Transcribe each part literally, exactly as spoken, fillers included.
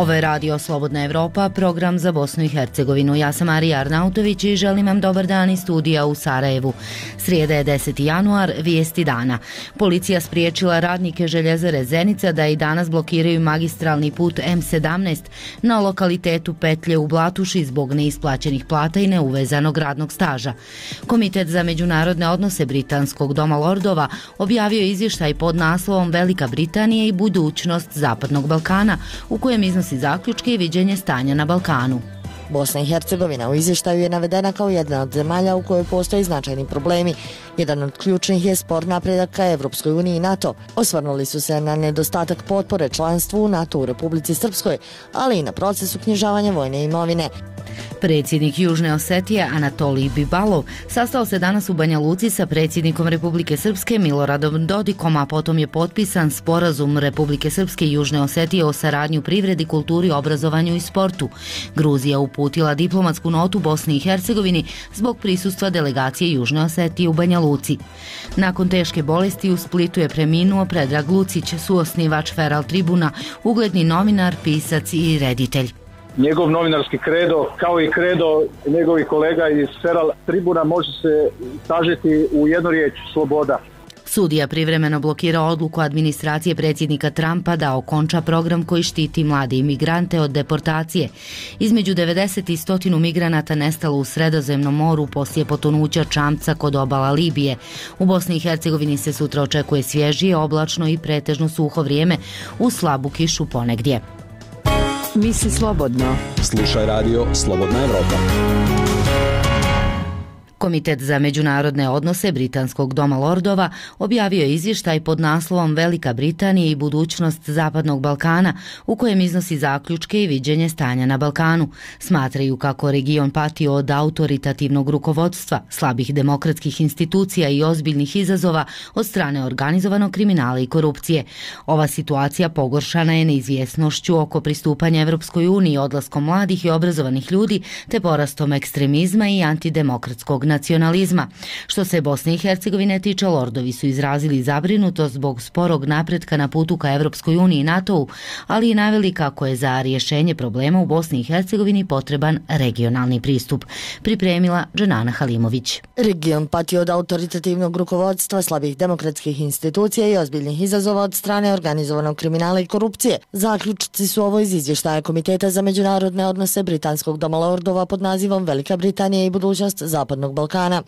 Ovo je Radio Slobodna Evropa, program za Bosnu i Hercegovinu. Ja sam Marija Arnautović i želim vam dobar dan iz studija u Sarajevu. Srijeda je deseti januar, vijesti dana. Policija spriječila radnike željezare Zenica da i danas blokiraju magistralni put M sedamnaest na lokalitetu Petlje u Blatuši zbog neisplaćenih plata i neuvezanog radnog staža. Komitet za međunarodne odnose Britanskog doma lordova objavio izvještaj pod naslovom Velika Britanija i budućnost Zapadnog Balkana, u kojem iznosi zaključke i viđenje stanja na Balkanu. Bosna i Hercegovina u izvještaju je navedena kao jedna od zemalja u kojoj postoje značajni problemi. Jedan od ključnih je spor napredak ka Evropskoj uniji i NATO. Osvrnuli su se na nedostatak potpore članstvu u NATO u Republici Srpskoj, ali i na proces uknjižavanja vojne imovine. Predsjednik Južne Osetije Anatolij Bibalov sastao se danas u Banja Luci sa predsjednikom Republike Srpske Miloradom Dodikom, a potom je potpisan sporazum Republike Srpske i Južne Osetije o saradnji u privredi, kulturi, obrazovanju i sportu. Gruzija uputila diplomatsku notu Bosni i Hercegovini zbog prisustva delegacije Južne Osetije u Banja Luci. Nakon teške bolesti u Splitu je preminuo Predrag Lucić, suosnivač Feral Tribuna, ugledni novinar, pisac i reditelj. Njegov novinarski kredo, kao i kredo njegovih kolega iz Feral Tribuna, može se sažeti u jednu riječ: sloboda. Sudija privremeno blokira odluku administracije predsjednika Trumpa da okonča program koji štiti mlade imigrante od deportacije. Između devedeset i sto migranata nestalo u Sredozemnom moru poslije potonuća čamca kod obala Libije. U Bosni i Hercegovini se sutra očekuje svježije, oblačno i pretežno suho vrijeme uz slabu kišu ponegdje. Misli slobodno. Slušaj radio Slobodna Evropa. Komitet za međunarodne odnose Britanskog doma lordova objavio je izvještaj pod naslovom Velika Britanija i budućnost Zapadnog Balkana, u kojem iznosi zaključke i viđenje stanja na Balkanu. Smatraju kako region pati od autoritativnog rukovodstva, slabih demokratskih institucija i ozbiljnih izazova od strane organizovanog kriminala i korupcije. Ova situacija pogoršana je neizvjesnošću oko pristupanja Evropskoj uniji, odlaskom mladih i obrazovanih ljudi te porastom ekstremizma i antidemokratskog nacionalizma. Što se Bosne i Hercegovine tiče, lordovi su izrazili zabrinutost zbog sporog napretka na putu ka Evropskoj uniji i NATO-u, ali i naveli kako je za rješenje problema u Bosni i Hercegovini potreban regionalni pristup. Pripremila Dženana Halimović. Region pati od autoritativnog rukovodstva, slabih demokratskih institucija i ozbiljnih izazova od strane organizovanog kriminala i korupcije. Zaključci su ovo iz izvještaja Komiteta za međunarodne odnose Britanskog doma lordova pod nazivom Velika Britanija i budućnost Zapadnog Balkana.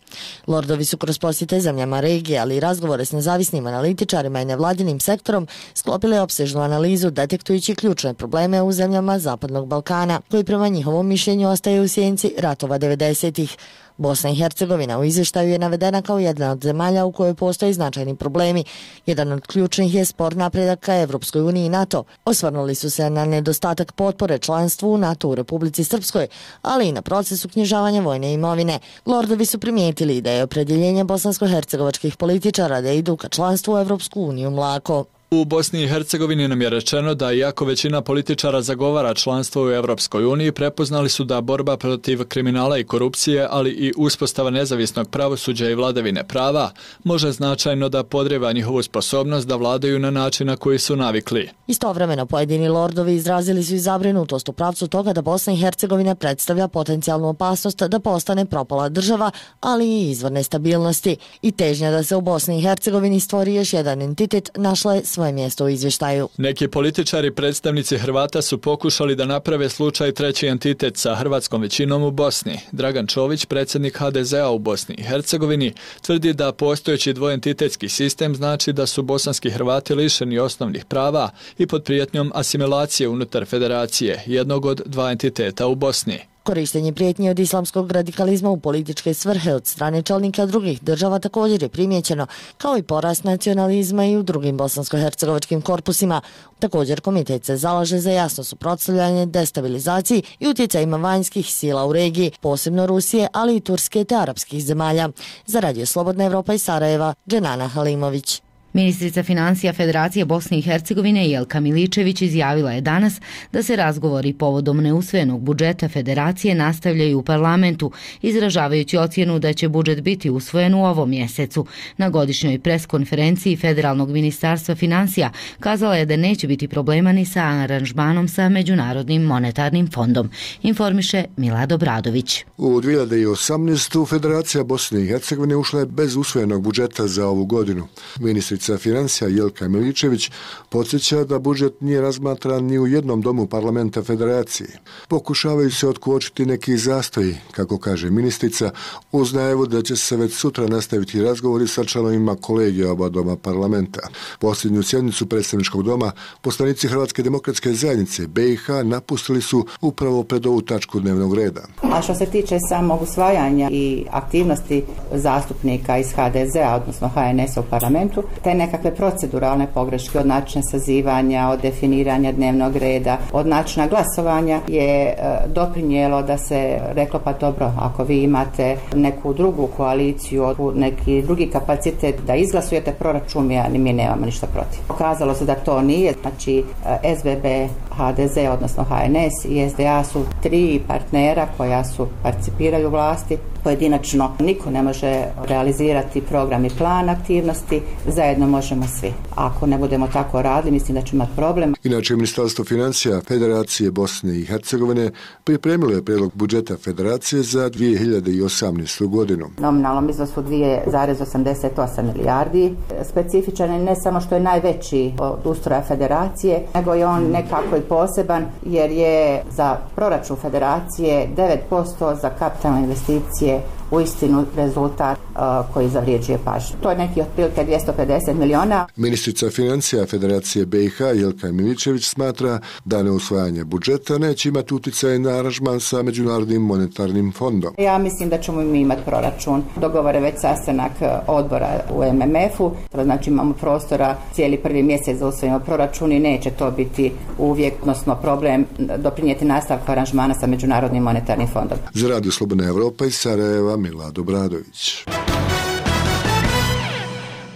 Lordovi su kroz posjete zemljama regije, ali i razgovore s nezavisnim analitičarima i nevladinim sektorom sklopili opsežnu analizu detektujući ključne probleme u zemljama Zapadnog Balkana, koji prema njihovom mišljenju ostaju u sjenci ratova devedesetih. Bosna i Hercegovina u izvještaju je navedena kao jedna od zemalja u kojoj postoje značajni problemi. Jedan od ključnih je spor napredak ka Evropskoj uniji i NATO. Osvrnuli su se na nedostatak potpore članstvu u NATO u Republici Srpskoj, ali i na proces uknjižavanja vojne imovine. Lordovi su primijetili da je opredjeljenje bosansko-hercegovačkih političara da idu ka članstvu u Evropsku uniju mlako. U Bosni i Hercegovini nam je rečeno da iako većina političara zagovara članstvo u Evropskoj uniji, prepoznali su da borba protiv kriminala i korupcije, ali i uspostava nezavisnog pravosuđa i vladavine prava može značajno da podrijeva njihovu sposobnost da vladaju na način na koji su navikli. Istovremeno pojedini lordovi izrazili su i zabrinutost u pravcu toga da Bosna i Hercegovina predstavlja potencijalnu opasnost da postane propala država, ali i izvor nestabilnosti. I težnja da se u Bosni i Hercegovini stvori još jedan entitet našla je svoje mjesto u izvještaju. Neki političari, predstavnici Hrvata su pokušali da naprave slučaj treći entitet sa hrvatskom većinom u Bosni. Dragan Čović, predsjednik ha de zea u Bosni i Hercegovini, tvrdi da postojeći dvoentitetski sistem znači da su bosanski Hrvati lišeni osnovnih prava i pod prijetnjom asimilacije unutar federacije, jednog od dva entiteta u Bosni. Korištenje prijetnje od islamskog radikalizma u političke svrhe od strane čelnika drugih država također je primijećeno, kao i porast nacionalizma i u drugim bosansko-hercegovačkim korpusima. Također komitet se zalaže za jasno suprotstavljanje destabilizaciji i utjecajima vanjskih sila u regiji, posebno Rusije, ali i Turske te arapskih zemalja. Za Radio Slobodna Evropa iz Sarajeva, Dženana Halimović. Ministrica financija Federacije Bosne i Hercegovine Jelka Miličević izjavila je danas da se razgovori povodom neusvojenog budžeta Federacije nastavljaju u parlamentu, izražavajući ocjenu da će budžet biti usvojen u ovom mjesecu. Na godišnjoj preskonferenciji Federalnog ministarstva financija kazala je da neće biti problema ni sa aranžmanom sa Međunarodnim monetarnim fondom, informiše Milad Obradović. U dvije hiljade osamnaestoj. Federacija Bosne i Hercegovine ušla je bez usvojenog budžeta za ovu godinu. Ministrica financija Jelka Miličević podsjeća da budžet nije razmatran ni u jednom domu parlamenta Federacije. Pokušavaju se otkočiti neki zastoji, kako kaže ministrica, uz najavu da će se već sutra nastaviti razgovori sa članovima kolegija oba doma parlamenta. Posljednju sjednicu predstavničkog doma poslanici Hrvatske demokratske zajednice B i H napustili su upravo pred ovu tačku dnevnog reda. A što se tiče samog usvajanja i aktivnosti zastupnika iz H D Z-a, odnosno H N S-a u parlamentu, te nekakve proceduralne pogreške od načina sazivanja, od definiranja dnevnog reda, od načina glasovanja je doprinijelo da se reklo pa dobro, ako vi imate neku drugu koaliciju, neki drugi kapacitet da izglasujete proračun, mi nemamo ništa protiv. Pokazalo se da to nije, znači S B B, H D Z, odnosno H N S i S D A su tri partnera koja su participiraju u vlasti. Pojedinačno niko ne može realizirati program i plan aktivnosti, zajedno možemo svi. Ako ne budemo tako radili, mislim da ćemo imati problem. Inače, Ministarstvo financija Federacije Bosne i Hercegovine pripremilo je prijedlog budžeta Federacije za dvije hiljade osamnaestu. godinu. Nominalnom iznosu dvije zarez osamdeset osam milijardi. Specifičan je ne samo što je najveći od ustroja Federacije, nego je on nekako i poseban jer je za proračun Federacije devet posto za kapitalne investicije uistinu rezultat uh, koji zavređuje pažnju. To je neki otprilike dvjesto pedeset miliona. Ministrica financija Federacije B i H Jelka Miličević smatra da neusvajanje budžeta neće imati utjecaj na aranžman sa Međunarodnim monetarnim fondom. Ja mislim da ćemo mi imati proračun. Dogovore već sastanak odbora u M M F-u, znači imamo prostora cijeli prvi mjesec za usvojimo proračun i neće to biti uvijek, odnosno problem doprinijeti nastavku aranžmana sa Međunarodnim monetarnim fondom. Za Radio Slobodna Evropa iz Sarajeva Milad Obradović.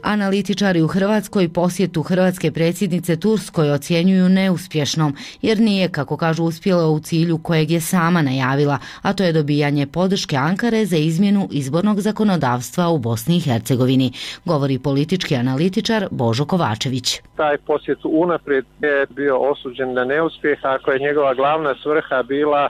Analitičari u Hrvatskoj posjetu hrvatske predsjednice Turskoj ocjenjuju neuspješnom, jer nije, kako kažu, uspjela u cilju kojeg je sama najavila, a to je dobijanje podrške Ankare za izmjenu izbornog zakonodavstva u Bosni i Hercegovini, govori politički analitičar Božo Kovačević. Taj posjet unaprijed je bio osuđen na neuspjeh, ako je njegova glavna svrha bila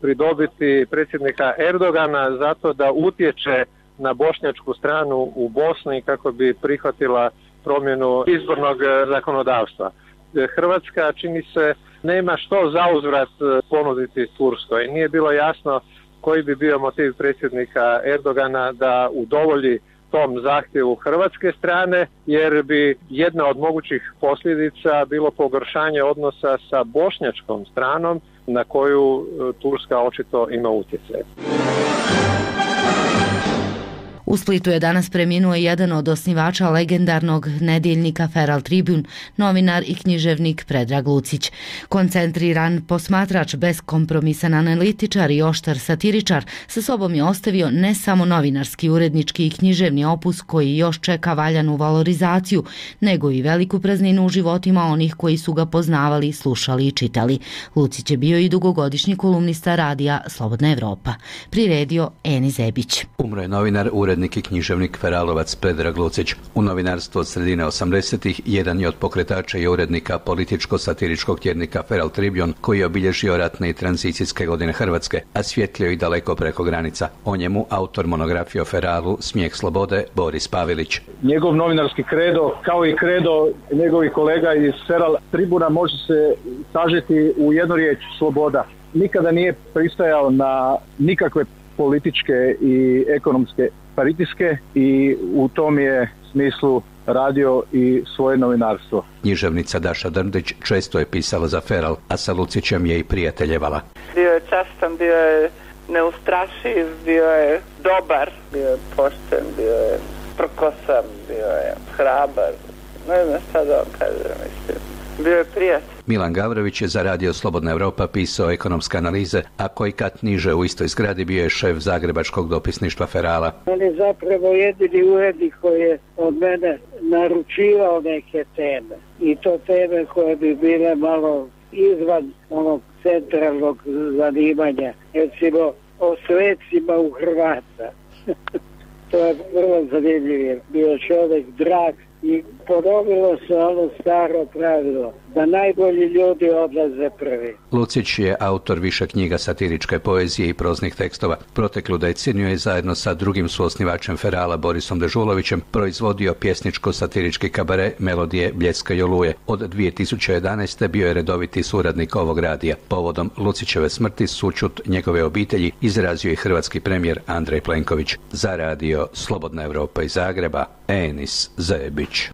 pridobiti predsjednika Erdogana zato da utječe na bošnjačku stranu u Bosni kako bi prihvatila promjenu izbornog zakonodavstva. Hrvatska, čini se, nema što zauzvrat ponuditi Turskoj. Nije bilo jasno koji bi bio motiv predsjednika Erdogana da udovolji tom zahtjevu hrvatske strane, jer bi jedna od mogućih posljedica bilo pogoršanje odnosa sa bošnjačkom stranom na koju Turska očito ima utjecaj. U Splitu je danas preminuo jedan od osnivača legendarnog nedjeljnika Feral Tribune, novinar i književnik Predrag Lucić. Koncentriran posmatrač, beskompromisan analitičar i oštar satiričar, sa sobom je ostavio ne samo novinarski, urednički i književni opus koji još čeka valjanu valorizaciju, nego i veliku prazninu u životima onih koji su ga poznavali, slušali i čitali. Lucić je bio i dugogodišnji kolumnista radija Slobodna Evropa. Priredio Eni Zebić. Umro je novinar, urednik i književnik Feralovac Predrag Lucić. U novinarstvu od sredine osamdesetih jedan je od pokretača i urednika političko-satiričkog tjednika Feral Tribune, koji je obilježio ratne i tranzicijske godine Hrvatske, a svjetlio i daleko preko granica. O njemu autor monografije o Feralu Smijeh slobode Boris Pavelić. Njegov novinarski kredo, kao i kredo njegovih kolega iz Feral Tribuna, može se sažeti u jednu riječ: sloboda. Nikada nije pristajao na nikakve političke i ekonomske pritiske i u tom je smislu radio i svoje novinarstvo. Književnica Daša Drndić često je pisala za Feral, a sa Lucićem je i prijateljevala. Bio je častan, bio je neustrašiv, bio je dobar, bio je pošten, bio je prkosan, bio je hrabar. Ne znam šta da vam kažem, mislim. Bio je prijatelj. Milan Gavrović je za Radio Slobodna Europa pisao ekonomske analize, a koji kat niže u istoj zgradi bio je šef zagrebačkog dopisništva Ferala. On je zapravo jedini urednik koji je od mene naručivao neke teme. I to teme koje bi bile malo izvan onog centralnog zanimanja. Recimo o svecima u Hrvata. To je vrlo zanimljivo. Bio čovjek drag i ponovilo se ono staro pravilo da najbolji ljudi odlaze prvi. Lucić je autor više knjiga satiričke poezije i proznih tekstova. Proteklu deceniju je zajedno sa drugim suosnivačem Ferala Borisom Dežulovićem proizvodio pjesničko-satirički kabare Melodije Bljeska i oluje. Od dvije tisuće jedanaeste bio je redoviti suradnik ovog radija. Povodom Lucićeve smrti sućut njegove obitelji izrazio je hrvatski premijer Andrej Plenković. Za Radio Slobodna Europa iz Zagreba, Enis Zebić.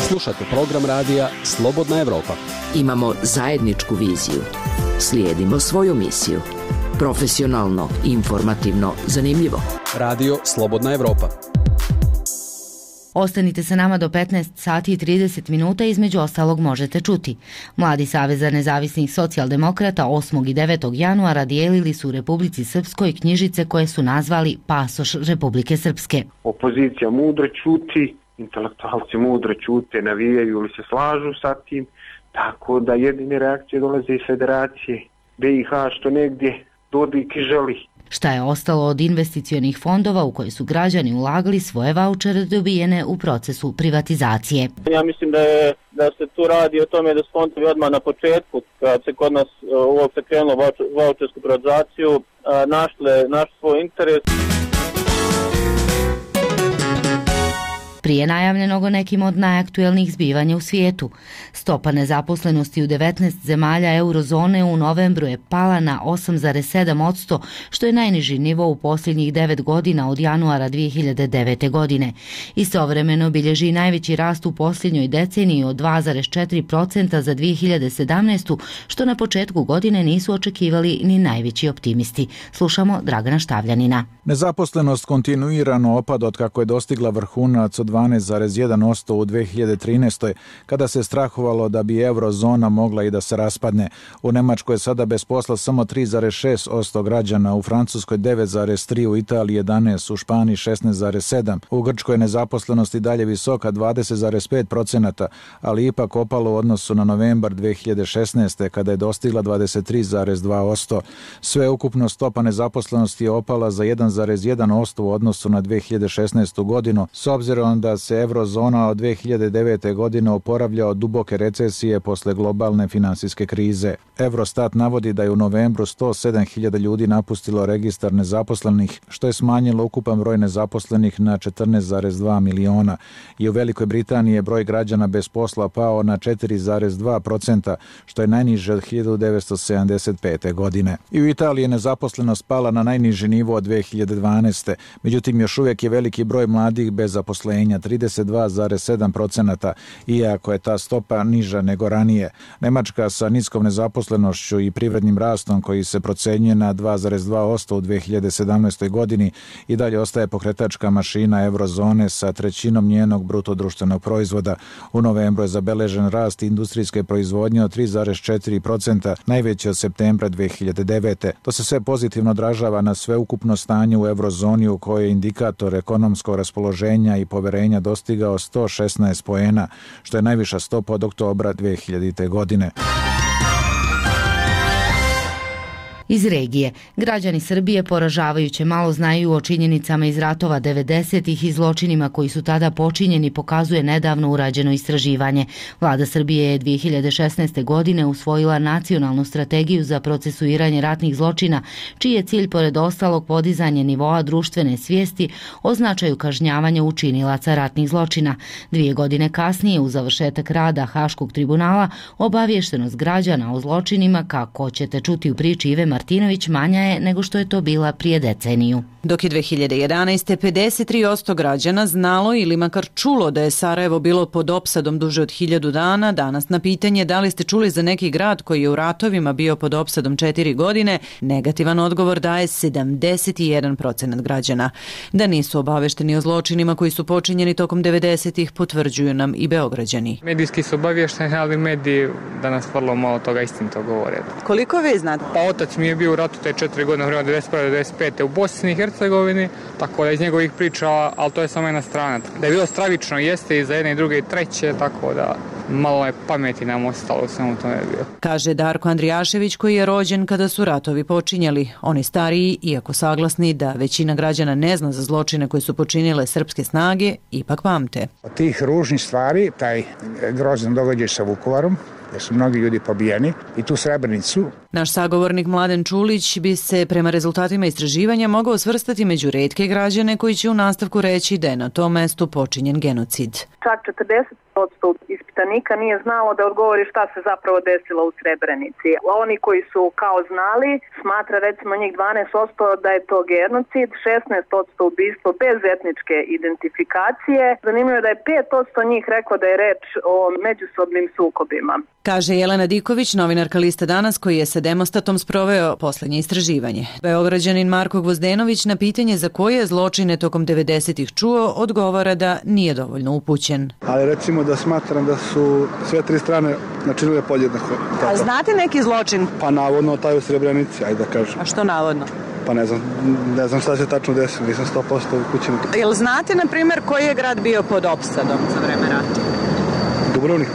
Slušate program radija Slobodna Europa. Imamo zajedničku viziju. Slijedimo svoju misiju. Profesionalno, informativno, zanimljivo. Radio Slobodna Europa. Ostanite sa nama do petnaest sati i trideset minuta, između ostalog možete čuti. Mladi savez za nezavisnih socijaldemokrata osmog i devetog januara dijelili su u Republici Srpskoj knjižice koje su nazvali Pasoš Republike Srpske. Opozicija mudro ćuti, intelektualci mudro ćute, navijaju ili se slažu sa tim, tako da jedine reakcije dolaze iz Federacije B i H što negdje Dodik želi. Šta je ostalo od investicionih fondova u koje su građani ulagali svoje vaučere dobijene u procesu privatizacije? Ja mislim da, je, da se tu radi o tome da su fondovi odmah na početku, kad se kod nas uopće krenulo vaučersku privatizaciju, našle, našli svoj interes. Prije najavljenog o nekim od najaktuelnijih zbivanja u svijetu. Stopa nezaposlenosti u devetnaest zemalja eurozone u novembru je pala na osam zarez sedam posto, što je najniži nivo u posljednjih devet godina od januara dvije hiljade devete. godine. Istovremeno bilježi najveći rast u posljednjoj deceniji od dva zarez četiri posto za dvije hiljade sedamnaestu. što na početku godine nisu očekivali ni najveći optimisti. Slušamo Dragana Štavljanina. Nezaposlenost kontinuirano opada od kako je dostigla vrhunac od dvanaest zarez jedan posto u dvije hiljade trinaestoj. kada se strahovalo da bi eurozona mogla i da se raspadne. U Nemačkoj je sada bez posla samo tri zarez šest posto građana, u Francuskoj devet zarez tri posto, u Italiji jedanaest posto, u Španiji šesnaest zarez sedam posto. U Grčkoj je nezaposlenost i dalje visoka dvadeset zarez pet posto, ali ipak opalo u odnosu na novembar dvije hiljade šesnaeste. kada je dostigla dvadeset tri zarez dva posto. Sve ukupno stopa nezaposlenosti je opala za jedan zarez jedan posto u odnosu na dvije hiljade šesnaestu. godinu, s obzirom da se eurozona od dvije hiljade devete. godine oporavlja od duboke recesije posle globalne finansijske krize. Eurostat navodi da je u novembru sto sedam hiljada ljudi napustilo registar nezaposlenih, što je smanjilo ukupan broj nezaposlenih na četrnaest zarez dva miliona. I u Velikoj Britaniji je broj građana bez posla pao na četiri zarez dva posto, što je najniže od hiljadu devetsto sedamdeset pete. godine. I u Italiji je nezaposlenost pala na najniži nivo od dvije hiljade dvanaeste. Međutim, još uvijek je veliki broj mladih bez zaposlenja, trideset dva zarez sedam posto, iako je ta stopa niža nego ranije. Nemačka sa niskom nezaposlenošću i privrednim rastom koji se procenjuje na dva zarez dva posto u dvije hiljade sedamnaestoj. godini i dalje ostaje pokretačka mašina eurozone sa trećinom njenog bruto društvenog proizvoda. U novembru je zabeležen rast industrijske proizvodnje od tri zarez četiri posto, najveći od septembra dvije hiljade devete. To se sve pozitivno odražava na sveukupno stanje u eurozoni u kojoj je indikator ekonomskog raspoloženja i poverenja dostigao sto šesnaest poena, što je najviša stopa od oktobra dvije hiljadite. godine. Iz regije. Građani Srbije poražavajuće malo znaju o činjenicama iz ratova devedesetih i zločinima koji su tada počinjeni, pokazuje nedavno urađeno istraživanje. Vlada Srbije je dvije hiljade šesnaeste. godine usvojila nacionalnu strategiju za procesuiranje ratnih zločina, čiji je cilj pored ostalog podizanje nivoa društvene svijesti o značaju kažnjavanja učinilaca ratnih zločina. Dvije godine kasnije, u završetak rada Haškog tribunala, obaviještenost građana o zločinima, kako ćete čuti u priči Ive Martinović, Martinović manja je nego što je to bila prije deceniju. Dok je dve hiljade jedanaeste. pedeset tri posto građana znalo ili makar čulo da je Sarajevo bilo pod opsadom duže od hiljadu dana, danas na pitanje da li ste čuli za neki grad koji je u ratovima bio pod opsadom četiri godine, negativan odgovor daje sedamdeset jedan procenat građana. Da nisu obavešteni o zločinima koji su počinjeni tokom devedesetih potvrđuju nam i Beograđani. Medijski su obavješteni, ali mediji danas vrlo malo toga istinito govore. Koliko vi znate? Pa otac mi je bio u ratu te četiri godine, vremena devedeset prve do devedeset pete u Bosni i Hercegovini, tako da iz njegovih priča, ali to je samo jedna strana. Da je bilo stravično, jeste i za jedne i druge i treće, tako da malo je pameti nam ostalo, samo to je bilo. Kaže Darko Andrijašević koji je rođen kada su ratovi počinjali. Oni stariji, iako saglasni da većina građana ne zna za zločine koje su počinile srpske snage, ipak pamte. Od tih ružnih stvari, taj grozan događaj sa Vukovarom, jer su mnogi ljudi pobijeni, i tu Srebrenicu. Naš sagovornik Mladen Čulić bi se prema rezultatima istraživanja mogao svrstati među retke građane koji će u nastavku reći da je na tom mestu počinjen genocid. Čak četrdeset posto ispitanika nije znalo da odgovori šta se zapravo desilo u Srebrenici. Oni koji su kao znali, smatra recimo njih dvanaest posto da je to genocid, šesnaest posto ubistvo bez etničke identifikacije. Zanimljivo je da je pet posto njih reklo da je reč o međusobnim sukobima. Kaže Jelena Diković, novinarka Liste Danas, koji je sa Demostatom sproveo poslednje istraživanje. Beograđanin Marko Gvozdenović na pitanje za koje zločine tokom devedesetih čuo odgovara da nije dovoljno upućen. Ali recimo da smatram da su sve tri strane načinile podjednako. A znate neki zločin? Pa navodno taj u Srebrenici, ajde da kažem. A što navodno? Pa ne znam, ne znam šta se tačno desilo, nisam sto posto upućen. Jel znate, na primjer, koji je grad bio pod opsadom za vreme rata? Dubrovnik,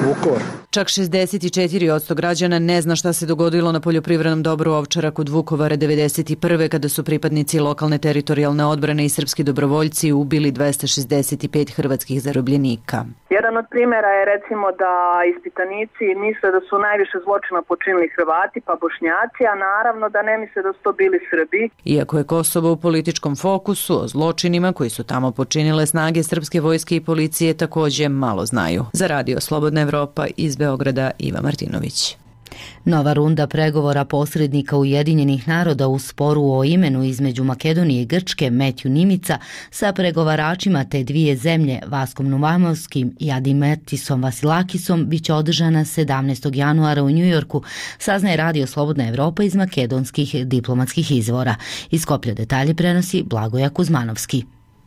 Vukovar. Čak šezdeset četiri posto građana ne zna šta se dogodilo na poljoprivrednom dobru Ovčara kod Vukovara devedeset prve. kada su pripadnici lokalne teritorijalne odbrane i srpski dobrovoljci ubili dvesta šezdeset pet hrvatskih zarobljenika. Jedan od primjera je recimo da ispitanici misle da su najviše zločina počinili Hrvati pa Bošnjaci, a naravno da ne misle da su to bili Srbi. Iako je Kosovo u političkom fokusu, o zločinima koji su tamo počinile snage srpske vojske i policije takođe malo znaju. Za Radio Slobodna Evropa iz Beograda Iva Martinović. Nova runda pregovora posrednika Ujedinjenih naroda u sporu o imenu između Makedonije i Grčke, Metju Nimica, sa pregovaračima te dvije zemlje, Vaskom Nuvamovskim i Adimetisom Vasilakisom, biće održana sedamnaestog januara u Njujorku, saznaje Radio Slobodna Evropa iz makedonskih diplomatskih izvora. Iz Skoplja detalje prenosi Blagoja Kuzmanovski.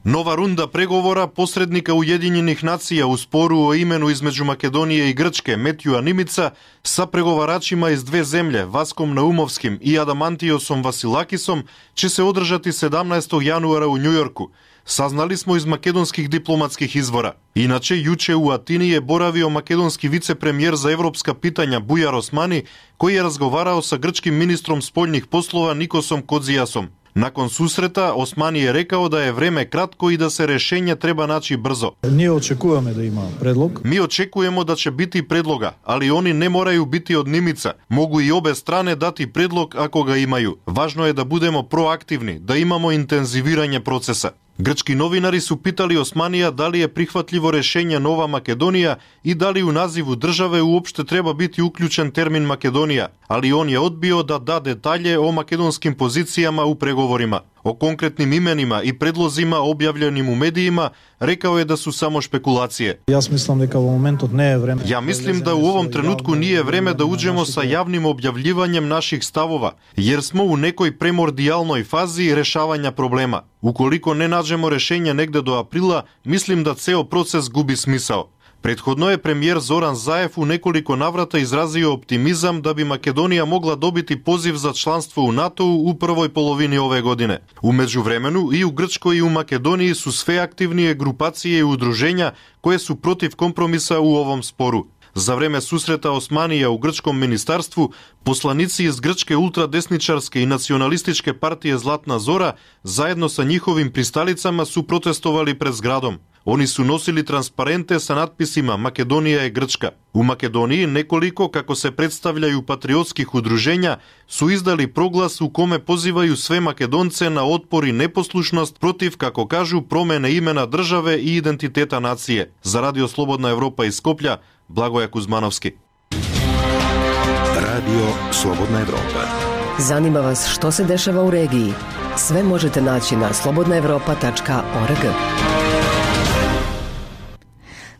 Nova runda pregovora posrednika Ujedinjenih nacija u sporu o imenu između Makedonije i Grčke, Metjua Nimica, sa pregovaračima iz dve zemlje, Vaskom Naumovskim i Adamantiosom Vasilakisom, će se održati sedamnaestog januara u Njujorku. Saznali smo iz makedonskih diplomatskih izvora. Inače, juče u Atini je boravio makedonski vicepremijer za evropska pitanja Bujar Osmani, koji je razgovarao sa grčkim ministrom spoljnih poslova Nikosom Kodzijasom. Nakon susreta, Osmani je rekao da je vreme kratko i da se rešenje treba naći brzo. Mi očekujemo da ima predlog. Mi očekujemo da će biti predloga, ali oni ne moraju biti od Nimica. Mogu i obe strane dati predlog ako ga imaju. Važno je da budemo proaktivni, da imamo intenziviranje procesa. Grčki novinari su pitali Osmanija da li je prihvatljivo rešenje Nova Makedonija i da li u nazivu države uopšte treba biti uključen termin Makedonija, ali on je odbio da da detalje o makedonskim pozicijama u pregovorima. O konkretnim imenima i predlozima objavljenim u medijima rekao je da su samo špekulacije. Ja mislim da u momentu ne je vreme. Ja mislim da u ovom trenutku nije vreme da uđemo sa javnim objavljivanjem naših stavova, jer smo u nekoj premordijalnoj fazi rešavanja problema. Ukoliko ne nađemo rešenje negde do aprila, mislim da ceo proces gubi smisao. Prethodno je premijer Zoran Zaev u nekoliko navrata izrazio optimizam da bi Makedonija mogla dobiti poziv za članstvo u NATO-u u prvoj polovini ove godine. U međuvremenu i u Grčkoj i u Makedoniji su sve aktivnije grupacije i udruženja koje su protiv kompromisa u ovom sporu. Za vreme susreta Osmanija u grčkom ministarstvu, poslanici iz grčke ultradesničarske i nacionalističke partije Zlatna Zora zajedno sa njihovim pristalicama su protestovali pred zgradom. Oni su nosili transparente sa natpisima Makedonija je Grčka. U Makedoniji nekoliko, kako se predstavljaju, patriotskih udruženja su izdali proglas u kome pozivaju sve Makedonce na otpor i neposlušnost protiv, kako kažu, promene imena države i identiteta nacije. Za Radio Slobodna Evropa iz Skoplja, Blagoja Kuzmanovski. Radio Slobodna Evropa. Zanima vas što se dešava u regiji? Sve možete naći na slobodna evropa tačka org.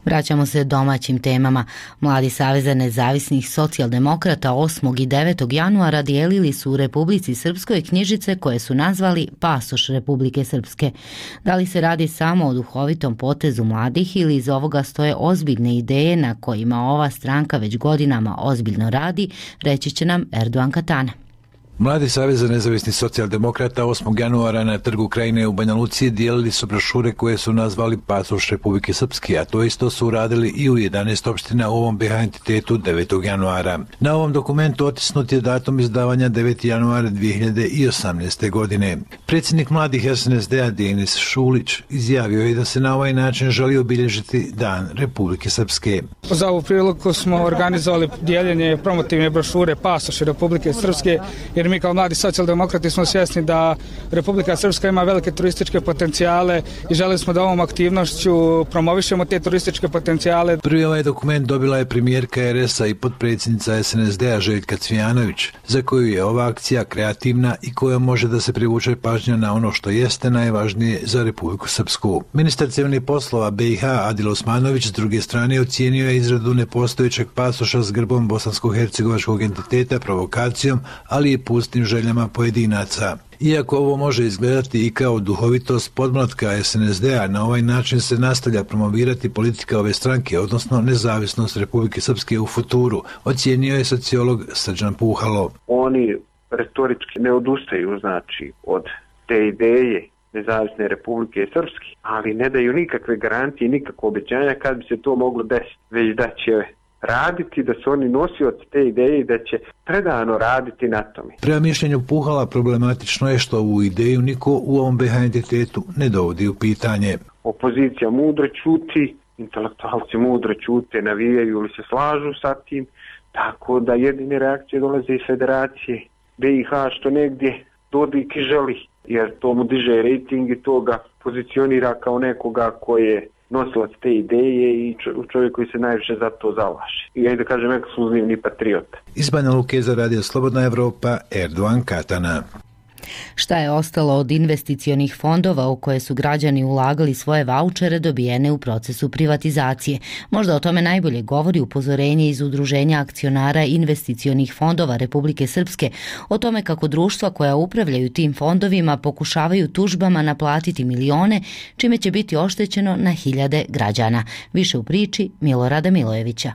Vraćamo se domaćim temama. Mladi saveza nezavisnih socijaldemokrata osmog i devetog januara dijelili su u Republici Srpskoj knjižice koje su nazvali Pasoš Republike Srpske. Da li se radi samo o duhovitom potezu mladih ili iz ovoga stoje ozbiljne ideje na kojima ova stranka već godinama ozbiljno radi, reći će nam Erdogan Katana. Mladi savez za nezavisni socijaldemokrata osmog januara na Trgu Krajine u Banja Luci dijelili su brošure koje su nazvali Pasoš Republike Srpske, a to isto su uradili i u jedanaest opština u ovom be ha entitetu devetog januara. Na ovom dokumentu otisnut je datum izdavanja deveti januar dvije hiljade osamnaeste. godine. Predsjednik mladih es en es de a Denis Šulić izjavio je da se na ovaj način želi obilježiti Dan Republike Srpske. Za ovu priliku smo organizovali dijeljenje promotivne brošure Pasoš Republike Srpske, jer mi kao mladi socijaldemokrati smo svjesni da Republika Srpska ima velike turističke potencijale i želeli smo da ovom aktivnošću promovišemo te turističke potencijale. Prvi ovaj dokument dobila je premijerka er es a i potpredsjednica es en es de a Željka Cvijanović, za koju je ova akcija kreativna i koja može da se privuče pažnja na ono što jeste najvažnije za Republiku Srpsku. Ministar civilnih poslova be i ha Adil Osmanović s druge strane ocijenio je izradu nepostojećeg pasoša s grbom bosansko-hercegovačkog entiteta provokacijom, ali i pustim željama pojedinaca. Iako ovo može izgledati i kao duhovitost podmlatka es en es de a, na ovaj način se nastavlja promovirati politika ove stranke, odnosno nezavisnost Republike Srpske u futuru, ocijenio je sociolog Srđan Puhalo. Oni retorički ne odustaju, znači, od te ideje nezavisne Republike Srpske, ali ne daju nikakve garancije, nikakve obećanja kad bi se to moglo desiti, već da će raditi, da su oni nosioci te ideje i da će predano raditi na tome. Prema mišljenju Puhala problematično je što ovu ideju niko u ovom be ha entitetu ne dovodi u pitanje. Opozicija mudro ćuti, intelektualci mudro ćute, navijaju ili se slažu sa tim, tako da jedine reakcije dolaze iz Federacije be i ha što negdje Dodik i želi, jer to mu diže rejting i to ga pozicionira kao nekoga koji je nosilac te ideje i čovjek koji se najviše za to zalaže. I ja da kažem ekskluzivni patriot. Iz Banja Luke za radio Slobodna Evropa, Erdogan Katana. Šta je ostalo od investicionih fondova u koje su građani ulagali svoje vaučere dobijene u procesu privatizacije? Možda o tome najbolje govori upozorenje iz Udruženja akcionara investicionih fondova Republike Srpske o tome kako društva koja upravljaju tim fondovima pokušavaju tužbama naplatiti milione, čime će biti oštećeno na hiljade građana. Više u priči Milorada Milojevića.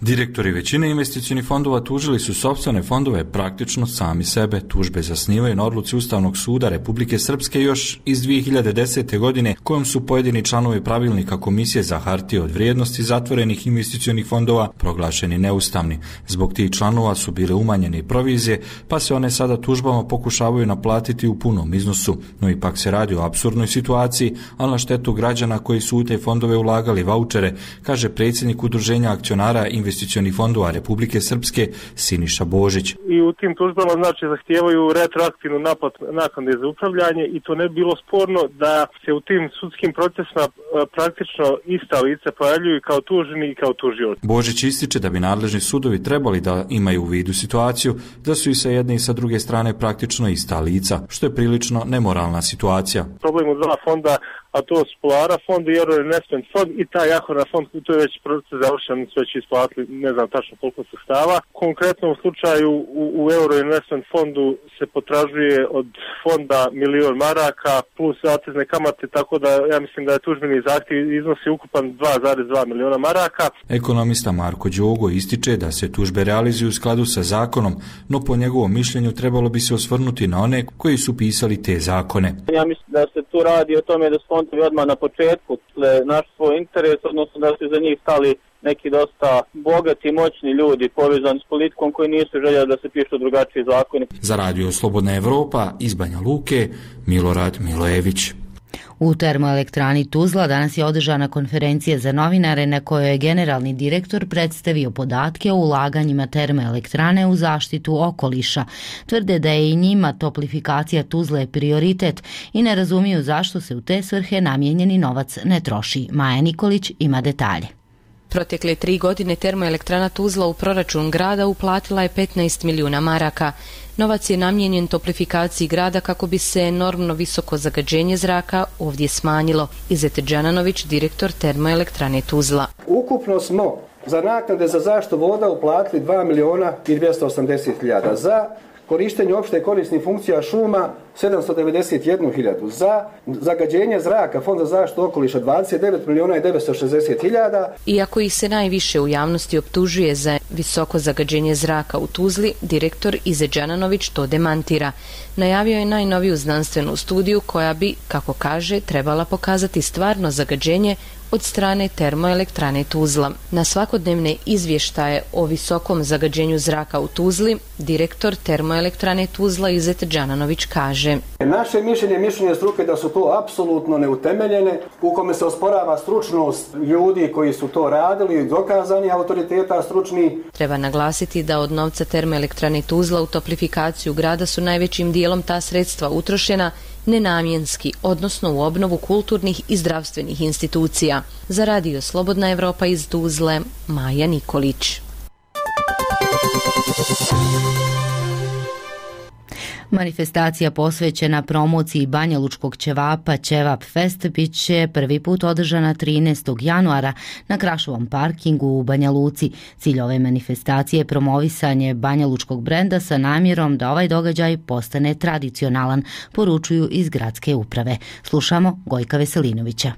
Direktori većine investicionih fondova tužili su sopstvene fondove praktično sami sebe. Tužbe zasnivaju na odluci Ustavnog suda Republike Srpske još iz dvije hiljade desete. godine, kojom su pojedini članovi pravilnika Komisije za hartije od vrijednosti zatvorenih investicionih fondova proglašeni neustavni. Zbog tih članova su bile umanjene provizije, pa se one sada tužbama pokušavaju naplatiti u punom iznosu. No ipak se radi o apsurdnoj situaciji, ali na štetu građana koji su u te fondove ulagali vaučere, kaže predsjednik Udruženja akcionara investicionih fondova Republike Srpske Siniša Božić. I u tim tužbama znači zahtijevaju retroaktivnu naplatu naknade za upravljanje i to ne bi bilo sporno da se u tim sudskim procesima praktično ista lica pojavljuju kao tuženi i kao tužioci. Božić ističe da bi nadležni sudovi trebali da imaju u vidu situaciju da su i sa jedne i sa druge strane praktično ista lica, što je prilično nemoralna situacija. Problem u dva fonda, a to su Polara fond i Euro Investment fond i taj Ahorna fond, to je već proces završen, su već isplatili, ne znam tačno koliko sredstava. Konkretno u slučaju u, u Euro Investment fondu se potražuje od fonda milion maraka plus zatezne kamate, tako da ja mislim da je tužbeni zahtjev iznosi ukupan dva zarez dva miliona maraka. Ekonomista Marko Đogo ističe da se tužbe realizuju u skladu sa zakonom, no po njegovom mišljenju trebalo bi se osvrnuti na one koji su pisali te zakone. Ja mislim da se tu radi o tome da fondovi odmah na početku naš svoj interes, odnosno da su za njih stali neki dosta bogati, moćni ljudi povezani s politikom koji nisu željeli da se pišu drugačiji zakoni. Za radio Slobodna Evropa iz Banja Luke, Milorad Milojević. U termoelektrani Tuzla danas je održana konferencija za novinare na kojoj je generalni direktor predstavio podatke o ulaganjima termoelektrane u zaštitu okoliša. Tvrde da je i njima toplifikacija Tuzle prioritet i ne razumiju zašto se u te svrhe namijenjeni novac ne troši. Maja Nikolić ima detalje. Protekle tri godine termoelektrana Tuzla u proračun grada uplatila je petnaest milijuna maraka. Novac je namijenjen toplifikaciji grada kako bi se enormno visoko zagađenje zraka ovdje smanjilo. Izet Đananović, direktor termoelektrane Tuzla. Ukupno smo za naknade za zaštitu voda uplatili dva miliona i dvjesto osamdeset hiljada, za korištenje opšte korisnih funkcija šuma sedamsto devedeset jednu hiljadu, za zagađenje zraka Fond za zaštitu okoliša dvadeset devet miliona i devetsto šezdeset hiljada. Iako ih se najviše u javnosti optužuje za visoko zagađenje zraka u Tuzli, direktor Izet Đananović to demantira. Najavio je najnoviju znanstvenu studiju koja bi, kako kaže, trebala pokazati stvarno zagađenje od strane termoelektrane Tuzla. Na svakodnevne izvještaje o visokom zagađenju zraka u Tuzli, direktor termoelektrane Tuzla Izet Đananović kaže: Naše mišljenje, mišljenje struke da su to apsolutno neutemeljene, u kome se osporava stručnost ljudi koji su to radili, dokazani autoriteta stručni. Treba naglasiti da od novca termoelektrane Tuzla u toplifikaciju grada su najvećim dijelom ta sredstva utrošena nenamjenski, odnosno u obnovu kulturnih i zdravstvenih institucija. Za radio Slobodna Evropa iz Tuzle, Maja Nikolić. Manifestacija posvećena promociji banjalučkog ćevapa Ćevap Fest bit će prvi put održana trinaestog januara na Krašovom parkingu u Banja Luci. Cilj ove manifestacije je promovisanje banjalučkog brenda sa namjerom da ovaj događaj postane tradicionalan, poručuju iz gradske uprave. Slušamo Gojka Veselinovića.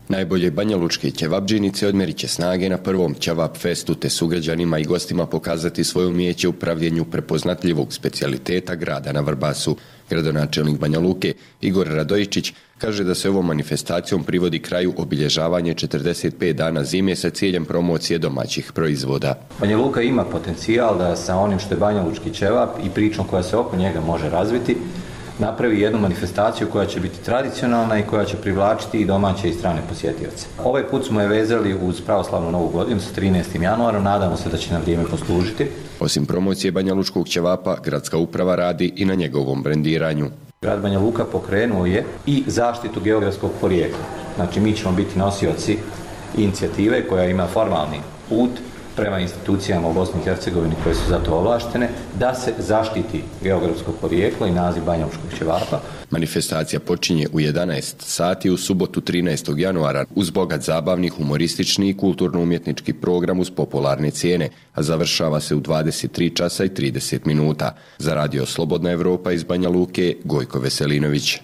Najbolje banjalučke ćevapdžinice odmerit će snage na prvom Ćevap Festu te sugrađanima i gostima pokazati svoje umijeće u pravljenju prepoznatljivog specijaliteta grada na Vrbasu. Gradonačelnik Banja Luke Igor Radojičić kaže da se ovom manifestacijom privodi kraju obilježavanje četrdeset pet dana zime sa ciljem promocije domaćih proizvoda. Banja Luka ima potencijal da sa onim što je banjalučki ćevap i pričom koja se oko njega može razviti napravi jednu manifestaciju koja će biti tradicionalna i koja će privlačiti i domaće i strane posjetioce. Ovaj put smo je vezali uz pravoslavnu novu godinu sa trinaestim januarom, nadamo se da će na vrijeme poslužiti. Osim promocije banjalučkog ćevapa, gradska uprava radi i na njegovom brendiranju. Grad Banja Luka pokrenuo je i zaštitu geografskog porijekla. Znači mi ćemo biti nosioci inicijative koja ima formalni put prema institucijama u Bosni i Hercegovini koje su za to ovlaštene, da se zaštiti geografsko porijeklo i naziv banjalučkog ćevapa. Manifestacija počinje u jedanaest sati u subotu trinaestog januara uz bogat zabavni, humoristični i kulturno-umjetnički program uz popularne cijene, a završava se u dvadeset tri časa i trideset minuta. Za radio Slobodna Evropa iz Banja Luke, Gojko Veselinović.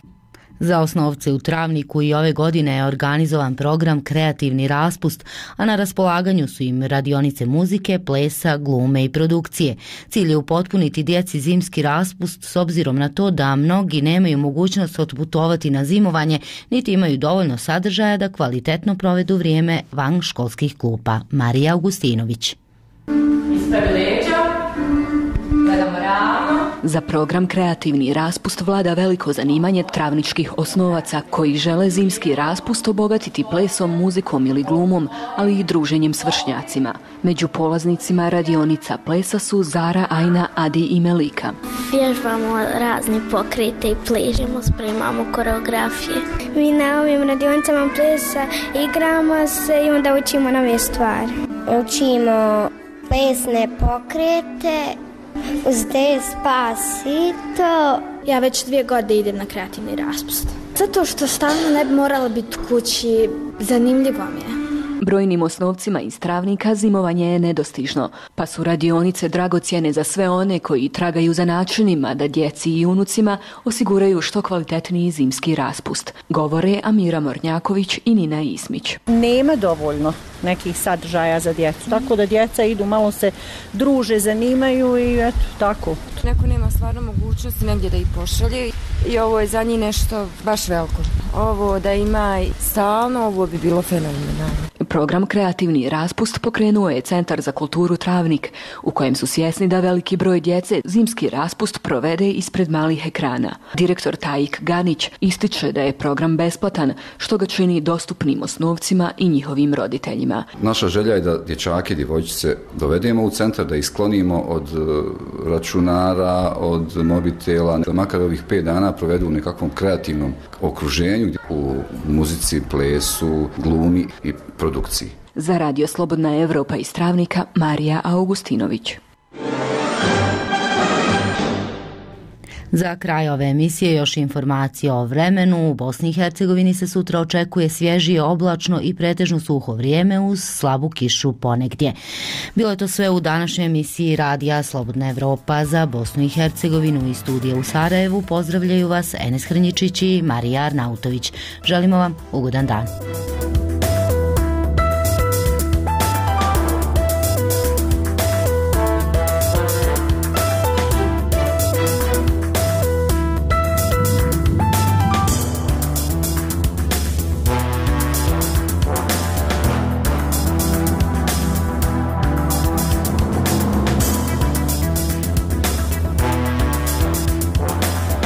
Za osnovce u Travniku i ove godine je organizovan program Kreativni raspust, a na raspolaganju su im radionice muzike, plesa, glume i produkcije. Cilj je upotpuniti djeci zimski raspust s obzirom na to da mnogi nemaju mogućnost otputovati na zimovanje, niti imaju dovoljno sadržaja da kvalitetno provedu vrijeme van školskih klupa. Marija Augustinović. Ispravi leđa, gledamo ravno. Za program Kreativni raspust vlada veliko zanimanje travničkih osnovaca koji žele zimski raspust obogatiti plesom, muzikom ili glumom, ali i druženjem s vršnjacima. Među polaznicima radionica plesa su Zara, Ajna, Adi i Melika. Vježbamo razni pokrete i pležemo, spremamo koreografije. Mi na ovim radionicama plesa igramo se i onda učimo nove stvari. Učimo plesne pokrete, uz Despacito. Ja već dvije godine idem na kreativni raspust. Zato što stalno ne bi morala biti kući, zanimljivo mi je. Brojnim osnovcima iz Travnika zimovanje je nedostižno, pa su radionice dragocjene za sve one koji tragaju za načinima da djeci i unucima osiguraju što kvalitetniji zimski raspust. Govore Amira Mornjaković i Nina Ismić. Nema dovoljno nekih sadržaja za djecu, tako da djeca idu, malo se druže, zanimaju i eto, tako. Neko nema stvarno mogućnosti negdje da ih pošalje i ovo je za njih nešto baš veliko. Ovo da ima stalno, ovo bi bilo fenomenalno. Program Kreativni raspust pokrenuo je Centar za kulturu Travnik, u kojem su svjesni da veliki broj djece zimski raspust provede ispred malih ekrana. Direktor Tajik Ganić ističe da je program besplatan, što ga čini dostupnim osnovcima i njihovim roditeljima. Naša želja je da dječake i djevojčice dovedemo u centar, da ih sklonimo od računara, od mobitela, da makar ovih pet dana provedu u nekakvom kreativnom okruženju, u muzici, plesu, glumi i produkciji. Za radio Slobodna Evropa iz Travnika, Marija Augustinović. Za kraj ove emisije još informacije o vremenu. U Bosni i Hercegovini se sutra očekuje svježije, oblačno i pretežno suho vrijeme uz slabu kišu ponegdje. Bilo je to sve u današnjoj emisiji Radija Slobodna Evropa. Za Bosnu i Hercegovinu i studije u Sarajevu pozdravljaju vas Enes Hrnjičić i Marija Arnautović. Želimo vam ugodan dan.